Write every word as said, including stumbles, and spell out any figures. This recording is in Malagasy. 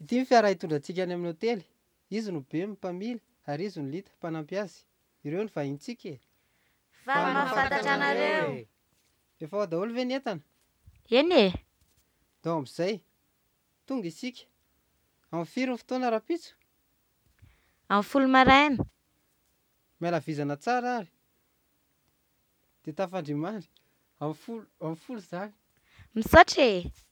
Ity ny fiara hitondra antsika any amin'ny hotely. Izy no Bemy mpamily ary izy no Lita mpanampy azy. Ireo no vahintsika e! Faly mahafantatra anareo e! Efa ao daholo ve ny entana? Eny e! Ndao amin'izay. Tonga isika. Amin'ny firy ny fotoana rahampitso? Amin'ny folo maraina. Miala vizana tsara ary. Dia tafandria mandry. Amin'ny folo, amin'ny folo izany. Misaotra e!